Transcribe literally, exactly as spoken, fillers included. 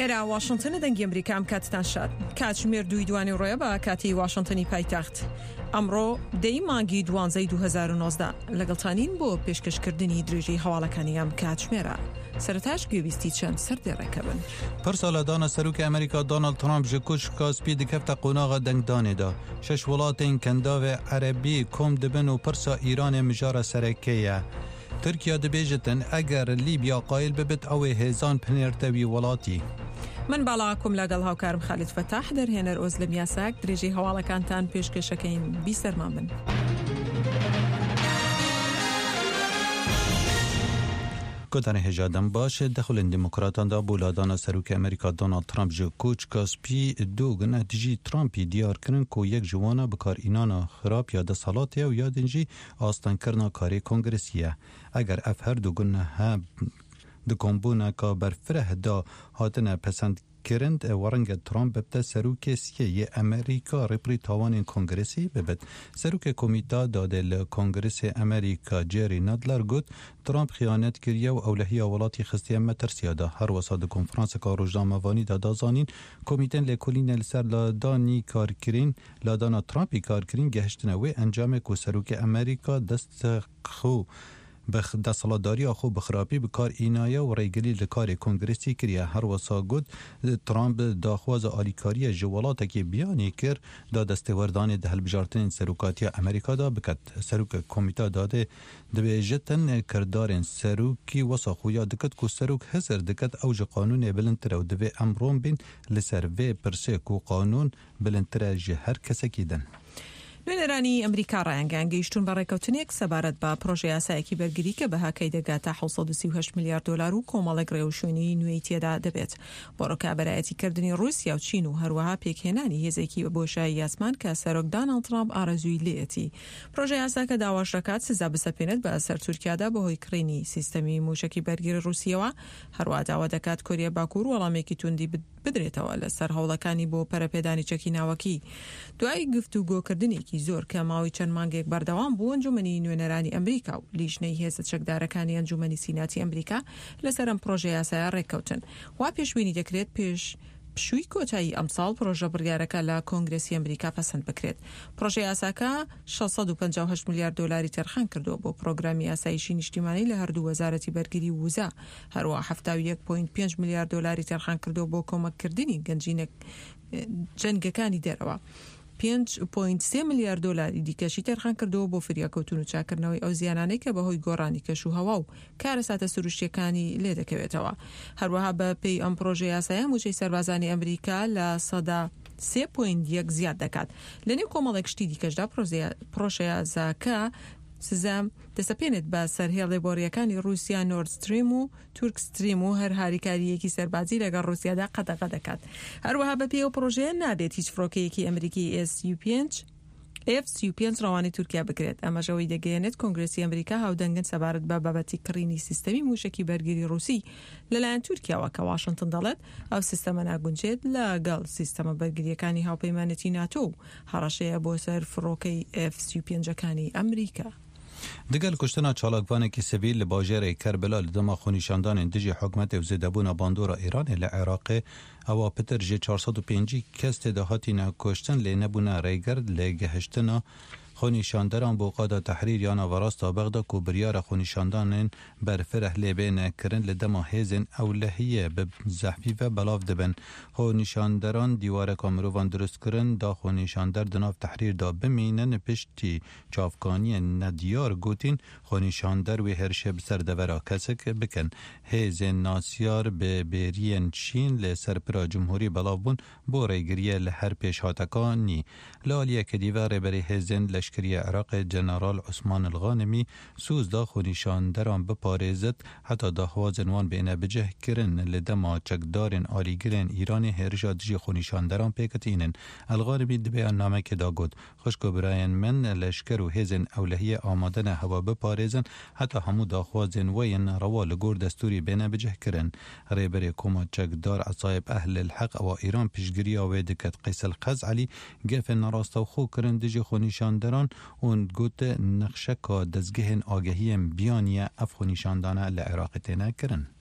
ئێرە واشنتنە، دەنگی ئەمریکا. ئەم کاتتان شاد. کاتژمێر دووی دوانی ڕۆیە بە کاتی واشنتنی پایتەخت. ئەمڕۆ دەی مانگی دوانزەی دوو هەزار و نۆزدە لەگەڵتانین بۆ پێشکەشکردنی درێژەی هەواڵەکانی ئەم کاتژمێرە. سەرەتاش گوێبیستی چەند سەردێڕێکە بن. پرسا لادانا سەرۆکی ئەمریکا دۆناڵد ترامپ ji کوشکا سپی دکەفتە قۆناغا دەنگدانێدا. شەش وڵاتên kendavê Erebî kom dibin û pirsa Îranê mijara sereke ye. Tirkiye dibêjitin eger Lîbya qayil bibit ew ê hêzan pinêrte wî welatî. من باڵاکم لەگەڵ هاوکارم خالید فەتاح، دەرهێنەر ئۆزلم یاساک. درێژەی هەواڵەکانتان پێشکەشەکەین، بیسەرمان بن. گوتانە هێژادەم باش دەخولن دیموکراتاندا بۆ لادانا سەرۆکی ئەمریکا دۆناڵد ترامپ ji کوچکا سپی دوو گونە دژی ترامپی دیارکردن ku yek ji wana bikarinana xirab ya desthilatê û ya din jî astengkirina karê kongresiye. Eger ev her du gunehe di kombûneka berfireh da hatine pesendkirin, werenge Trump bibte serokê siyê yê Amerîka rêberî tawanên kongresî bibit. Serokê komîta dadê li Kongresê Amerîka Jerry Nadler got Trump xiyanet kiriye û ewlehiya welatî xistiye metirsiya da. Her wisa di konferanseka rojnamevanî de da zanîn komîtên lêkolînê li ser ladanî karkirin ladana Trumpî karkirin gehiştine wê encamê ku serokê Amerîka dest xwe bi desthilatdariya xwe bi xirabî bi kar înaye û rêgirî li karê kongresî kiriye. Her wisa got Trump daxwaza alîkariye ji welatekî biyanî kir da destêwerdanê di hilbijartinên serokatiya Amerîka da biket. Serokê komîta dadê dibêjitin kirdarên serokî wisa xuya diket ku serok hizir diket ew ji qanûnê bilindtir e û divê em ron bîn li ser vê pirsê ku qanûn bilindtir e ji her kesekî din. نوێنەرانی ئەمریکا ڕایانگەیان گەیشتون بە ڕێککەوتنێک سەبارەت بە پرۆژە یاسایەکی بەرگری کە بەهاکەی دەگاتە حەوت سەد و سی و هەشت ملیار دۆلار و کۆمەڵێک ڕێوشوێنی نوێی تێدا دەبێت بۆ ڕکابەرایەتیکردنی ڕووسیا و چین و هەروەها پێکهێنانی هێزێکی بە بۆشایی یاسمان کە سەرۆک داناڵد ترامپ ئارەزووی لێیەتی. پرۆژە یاساکە داواش دەکات سزا بسەپێنێت بە سەر تورکیادا بەهۆی کڕینی سیستەمی موشەکی بەرگری ڕووسیەوە. هەروەها داوا دەکات کۆریا باکوور وەڵامێکی توندی بدرێتەوە لەسەر هەوڵەکانی بۆ پەرەپێدانی چەکی ناوەکی. دوای گفتوگۆکردنێکی زۆر کە ماوەی چەند مانگێک بەردەوام بوو، ئەنجومەنی نوێنەرانی ئەمریکا و لیژنەی هێزە چەکدارەکانی ئەنجومەنی سیناتی ئەمریکا لەسەر ئەم پرۆژە یاسایە ڕێککەوتن. وا پێشبینی دەکرێت پێش پشووی کۆتایی ئەمساڵ پرۆژە بڕیارەکە لە کۆنگرسی ئەمریکا پەسەند بکرێت. پرۆژە یاساکە شەش سەد و پەنجا و هەشت ملیار دۆلاری تەرخان کردووە بۆ پرۆگرامی ئاسایشی نیشتیمانی لە هەردوو وەزارەتی بەرگری و وزە، هەروەها حەفتا و یەک پۆینت پێنج ملیار دۆلاری تەرخان کردووە بۆ کۆمەککردنی گەنجینە جەنگەکانی دەرەوە. پێنج پۆینت سێ ملیار دۆلاری دیکەشی تەرخان کردووە بۆ فریاکەوتن و چاکردنەوەی ئەو زیانانەی کە بەهۆی گۆڕانی کەش و هەوا و کارەساتە سروشتیەکانی لێدەکەوێتەوە. هەروەها بە پێی ئەم پرۆژە یاسایە موچەی سەربازانی ئەمریکا لە سەدا سێ پۆینت یەک زیاد دەکات. لەنێو کۆمەڵێک شتی دیکەشدا پرۆژە یاساکە سزا دەسەپێنێت بە سەرهێڵێ بۆریەکانی ڕووسیا نۆرد ستریم و تورک ستریم و هەر هاریکاریەکی سەربازی لەگەڵ ڕووسیادا قەدەغە دەکات. هەروەها بەپێی ئەو پرۆژەیە نابێت هیچ فڕۆکەیەکی ئەمریکی ئێس یو پێنج ئێف سی و پێنج ڕەوانەی تورکیا بکرێت. ئەمەش ئەوەی دەگەیەنێت کۆنگرسی ئەمریکا هاودەنگن سەبارەت بە بابەتی کڕینی سیستەمی موشەکی بەرگری ڕووسی لەلایەن تورکیاوە کە واشنتن دەڵێت ئەو سیستەمە ناگونجێت لەگەڵ سیستەمە بەرگریەکانی هاوپەیمانێتی ناتۆ و هەڕەشەیە بۆ سەر فڕۆکەی ئێف سی و پێنجەکانی ئەمریکا. دگەل کوشتنا چالاکوانێکی سڤیل لە باژێرê Kerbela li dema xwenîşandanên dijî hikûmetê û zêdebûna bandora Îranê li Iraqê ewa pitir ji çar sed û pêncî kes tê de hatîne kuştin lê nebûne rêger li gehiştina xwenîşanderan bo qada Tehrîr ya naverasta Bexda ku biryara xwenîşandanên berfireh lê bêne kirin li dema hêzên ewlehiyê bi zehfî ve belav dibin. Xwenîşanderan dîwareka mirovan dirust kirin da xwenîşander di nav Tehrîr de bimînin piştî çavkaniyên nediyar gotin xwenîşander wê hêrişê bi ser devera kesek bikin. Hêzên nasiyar bi bêriyên Çîn li ser pira Cumhurî belav bûn bo rêgiriyê li her pêşhatekanî. Li aliyekê dî ve rêberê hêzên leşkeriya Iraqê General Osman El-Ghanimî soz da xwenîşanderan biparêzit heta daxwazên wan bêne bicih kirin li dema çekdarên alîgirên Îranê hêrişa dijî xwenîşanderan pêk tînin. El-Ghanimî di beyannamekê de got xwişk û birayên min leşker û hêzên ewlehiyê amade ne hewa biparêzin heta hemû daxwazên we yên rewa li gor destûrî bêne bicih kirin. Rêberê koma çekdar Esayib Ehl el-Heq ewa Îran piştgiriya wê diket Qeys el-Xezalî gefên nerastewxwe kirin dijî xwenîşanderan û got nexşeka dezgehên agehiyên biyaniye ev xwenîşandana li Iraqê têne kirin.